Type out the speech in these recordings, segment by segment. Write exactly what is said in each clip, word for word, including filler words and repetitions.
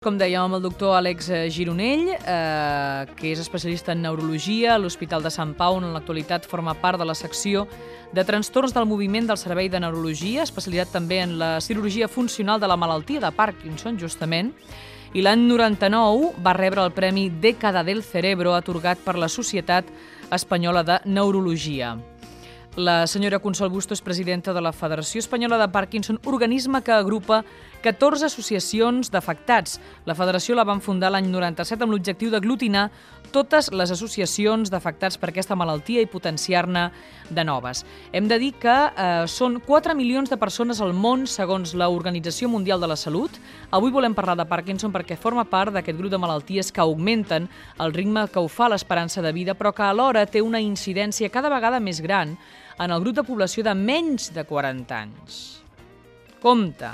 Com dèiem, amb el doctor Àlex Gironell, eh, que és especialista en neurologia a l'Hospital de Sant Pau, on en l'actualitat forma part de la secció de trastorns del moviment del Servei de Neurologia, especialitat també en la cirurgia funcional de la malaltia de Parkinson, justament, i l'any noranta-nou va rebre el Premi Dècada del Cerebro atorgat per la Societat Espanyola de Neurologia. La senyora Consol Busto és presidenta de la Federació Espanyola de Parkinson, organisme que agrupa catorze associacions d'afectats. La federació la van fundar l'any noranta-set amb l'objectiu d'aglutinar totes les associacions d'afectats per aquesta malaltia i potenciar-ne de noves. Hem de dir que eh, són quatre milions de persones al món, segons l'Organització Mundial de la Salut. Avui volem parlar de Parkinson perquè forma part d'aquest grup de malalties que augmenten el ritme que ho fa l'esperança de vida, però que alhora té una incidència cada vegada més gran en el grup de població de menys de quaranta anys. Compte,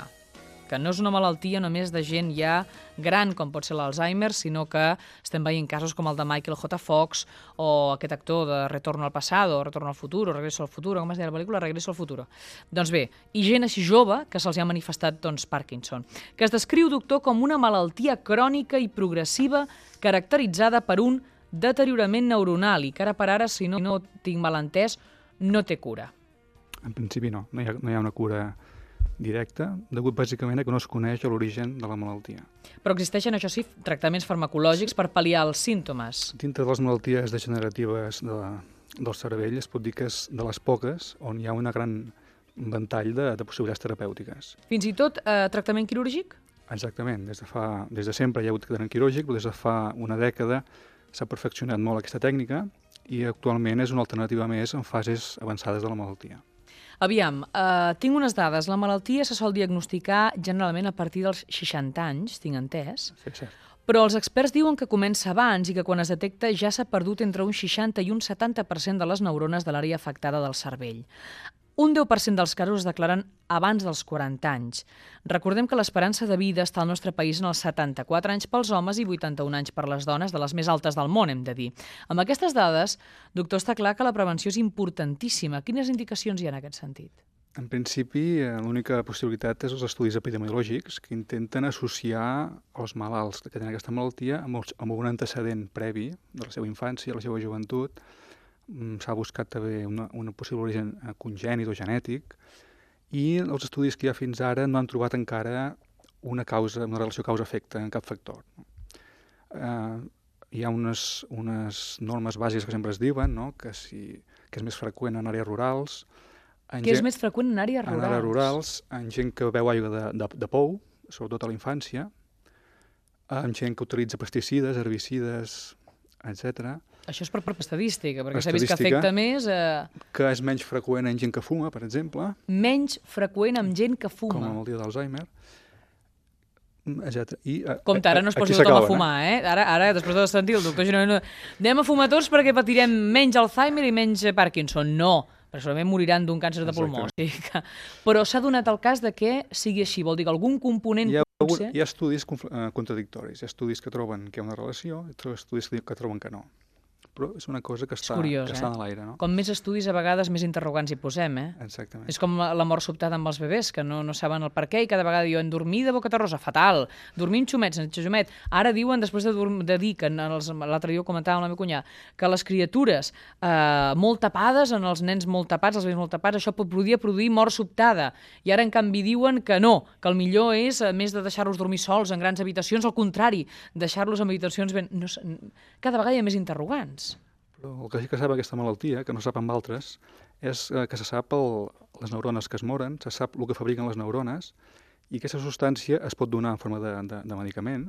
que no és una malaltia només de gent ja gran, com pot ser l'Alzheimer, sinó que estem veient casos com el de Michael J. Fox o aquest actor de Retorno al Pasado, Retorno al Futuro, Regreso al Futuro, com es deia la pel·lícula? Regreso al Futuro. Doncs bé, i gent així jove que se'ls ha manifestat doncs, Parkinson, que es descriu, doctor, com una malaltia crònica i progressiva caracteritzada per un deteriorament neuronal i que ara per ara, si no, no tinc mal entès, no té cura. En principi no, no hi ha, no hi ha una cura directa, degut bàsicament a que no es coneix l'origen de la malaltia. Però existeixen, això sí, tractaments farmacològics per pal·liar els símptomes. Dintre de les malalties degeneratives de la, del cervell es pot dir que és de les poques on hi ha una gran ventall de, de possibilitats terapèutiques. Fins i tot eh, tractament quirúrgic? Exactament, des de, fa, des de sempre hi ha hagut tractament quirúrgic, però des de fa una dècada s'ha perfeccionat molt aquesta tècnica i actualment és una alternativa més en fases avançades de la malaltia. Aviam, eh, tinc unes dades. La malaltia se sol diagnosticar generalment a partir dels seixanta anys, tinc entès, Sí, cert. però els experts diuen que comença abans i que quan es detecta ja s'ha perdut entre un seixanta i un setanta per cent de les neurones de l'àrea afectada del cervell. Un deu per cent dels casos es declaren abans dels quaranta anys. Recordem que l'esperança de vida està al nostre país en els setanta-quatre anys pels homes i vuitanta-un anys per les dones, de les més altes del món, hem de dir. Amb aquestes dades, doctor, està clar que la prevenció és importantíssima. Quines indicacions hi ha en aquest sentit? En principi, l'única possibilitat és els estudis epidemiològics que intenten associar els malalts que tenen aquesta malaltia amb, els, amb un antecedent previ de la seva infància, de la seva joventut. S'ha buscat també una, una possible origen congènit o genètic i els estudis que hi ha fins ara no han trobat encara una causa, una relació causa-efecte en cap factor. Eh, hi ha unes, unes normes bàsiques que sempre es diuen, no? que, si, que és més freqüent en àrees rurals. En Què gent, és més freqüent en àrees rurals? En àrees rurals, en gent que beu aigua de, de, de pou, sobretot a la infància, en gent que utilitza pesticides, herbicides, etcètera. Això és per, per estadística, perquè s'ha Estadística, vist que afecta més... Eh... Que és menys freqüent en gent que fuma, per exemple. Menys freqüent amb gent que fuma. Com la malaltia d'Alzheimer, etcètera. I, Compte, ara no es posi tothom a fumar, eh? Ara, ara després de sentir el doctor Gironell, anem a fumar tots perquè patirem menys Alzheimer i menys Parkinson. No, perquè segurament moriran d'un càncer de pulmó. O sigui que... Però s'ha donat el cas de que sigui així, vol dir que algun component... Hi ha, potser... hi ha estudis contradictoris, hi ha estudis que troben que hi ha una relació i estudis que troben que no. Però és una cosa que està, curiós, que està eh? a l'aire, no? Com més estudis, a vegades més interrogants hi posem, eh? Exactament. És com la mort sobtada amb els bebès, que no, no saben el per què i cada vegada diuen dormir de boca terrosa, fatal, dormir amb xumets, en xumet. Ara diuen, després de, de dir, que l'altre dia ho comentava amb la meva cunyà, que les criatures eh, molt tapades, en els nens molt tapats, els bebès molt tapats, això podria produir mort sobtada. I ara, en canvi, diuen que no, que el millor és, a més de deixar-los dormir sols en grans habitacions, al contrari, deixar-los en habitacions ben... No, cada vegada hi ha més interrogants. Però el que sí que sap aquesta malaltia, que no sap amb altres, és que se sap el, les neurones que es moren, se sap el que fabriquen les neurones, i aquesta substància es pot donar en forma de, de, de medicament,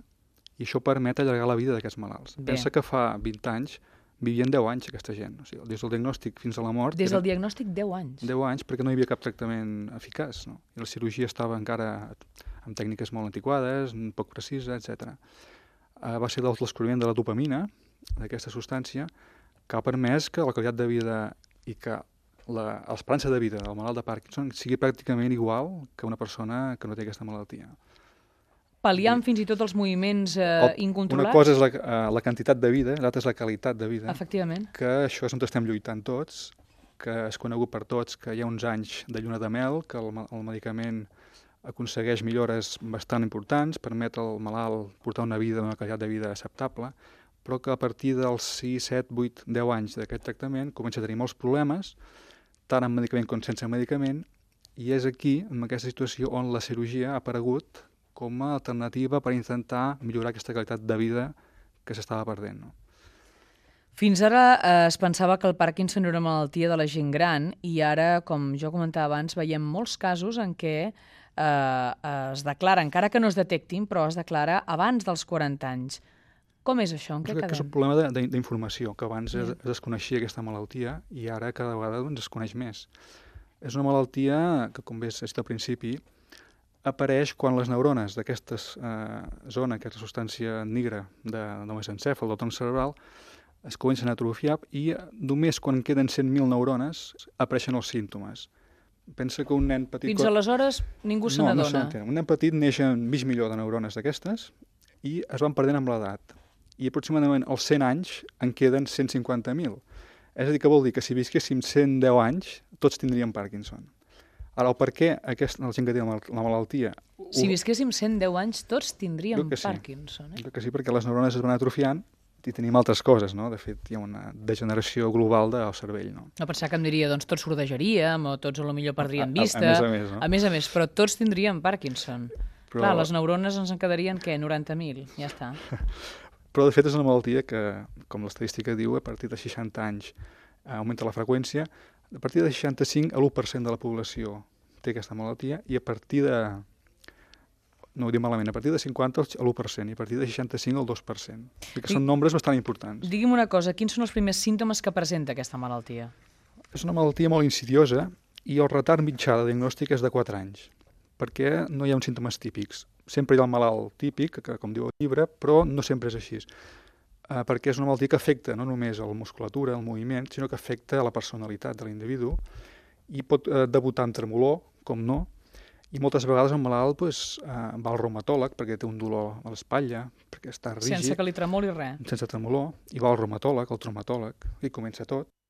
i això permet allargar la vida d'aquests malalts. Bé. Pensa que fa vint anys vivien deu anys aquesta gent, o sigui, des del diagnòstic fins a la mort... Des del diagnòstic deu anys? deu anys, perquè no hi havia cap tractament eficaç, no? I la cirurgia estava encara amb tècniques molt antiquades, poc precisa, etcètera. Uh, va ser el descobriment de la dopamina, d'aquesta substància, que ha permès que la qualitat de vida i que l'esperança de vida del malalt de Parkinson sigui pràcticament igual que una persona que no té aquesta malaltia. Pal·liant fins i tot els moviments eh, incontrolats? Una cosa és la, uh, la quantitat de vida, l'altra és la qualitat de vida. Efectivament. Que això és on estem lluitant tots, que és conegut per tots que hi ha uns anys de lluna de mel, que el, el medicament aconsegueix millores bastant importants, permet al malalt portar una vida, una qualitat de vida acceptable, però que a partir dels sis, set, vuit, deu anys d'aquest tractament comença a tenir molts problemes, tant amb medicament com sense medicament, i és aquí, en aquesta situació, on la cirurgia ha aparegut com a alternativa per intentar millorar aquesta qualitat de vida que s'estava perdent. No? Fins ara eh, es pensava que el Parkinson era una malaltia de la gent gran i ara, com jo comentava abans, veiem molts casos en què eh, es declara, encara que no es detectin, però es declara abans dels quaranta anys. Com és això? En què quedem? És un problema d'informació, que abans es, es desconeixia aquesta malaltia i ara cada vegada doncs, es coneix més. És una malaltia que, com bé s'ha dit al principi, apareix quan les neurones d'aquesta eh, zona, aquesta substància negra de, del mesencèfal, del tronc cerebral, es comencen a atrofiar i només quan queden cent mil neurones apareixen els símptomes. Pensa que un nen petit... Fins aleshores ningú se no, n'adona. No, un nen petit neix amb mig milió de neurones d'aquestes i es van perdent amb l'edat. I aproximadament als cent anys en queden cent cinquanta mil. És a dir, que vol dir que si visquéssim cent deu anys, tots tindríem Parkinson. Ara, el per què aquesta, la gent que té la malaltia... Si visquéssim cent deu anys, tots tindríem sí. Parkinson. Eh? Crec que sí, perquè les neurones es van atrofiant i tenim altres coses, no? De fet, hi ha una degeneració global del cervell, no? No pensar que em diria, doncs tots sordejaríem o tots potser perdríem vista. A, a, a més a més, no? A més a més, però tots tindríem Parkinson. Però... Clar, les neurones ens en quedarien, què, noranta mil? Ja està. Però, de fet, és una malaltia que, com l'estadística diu, a partir de seixanta anys eh, augmenta la freqüència. A partir de seixanta-cinc, l'u per cent de la població té aquesta malaltia i a partir de... no ho dic malament, a partir de cinquanta l'u per cent i a partir de seixanta-cinc el dos per cent. Que són nombres bastant importants. Digui'm una cosa, quins són els primers símptomes que presenta aquesta malaltia? És una malaltia molt insidiosa i el retard mitjà de diagnòstic és de quatre anys, perquè no hi ha uns símptomes típics. Sempre hi ha el malalt típic, que com diu el llibre, però no sempre és així. Eh, perquè és una malaltia que afecta no només a la musculatura, al moviment, sinó que afecta a la personalitat de l'individu i pot eh, debutar amb tremolor, com no, i moltes vegades el malalt pues, eh, va al reumatòleg perquè té un dolor a l'espatlla, perquè està rígid. Sense que li tremoli res. Sense tremolor, i va al reumatòleg, al traumatòleg, i comença tot.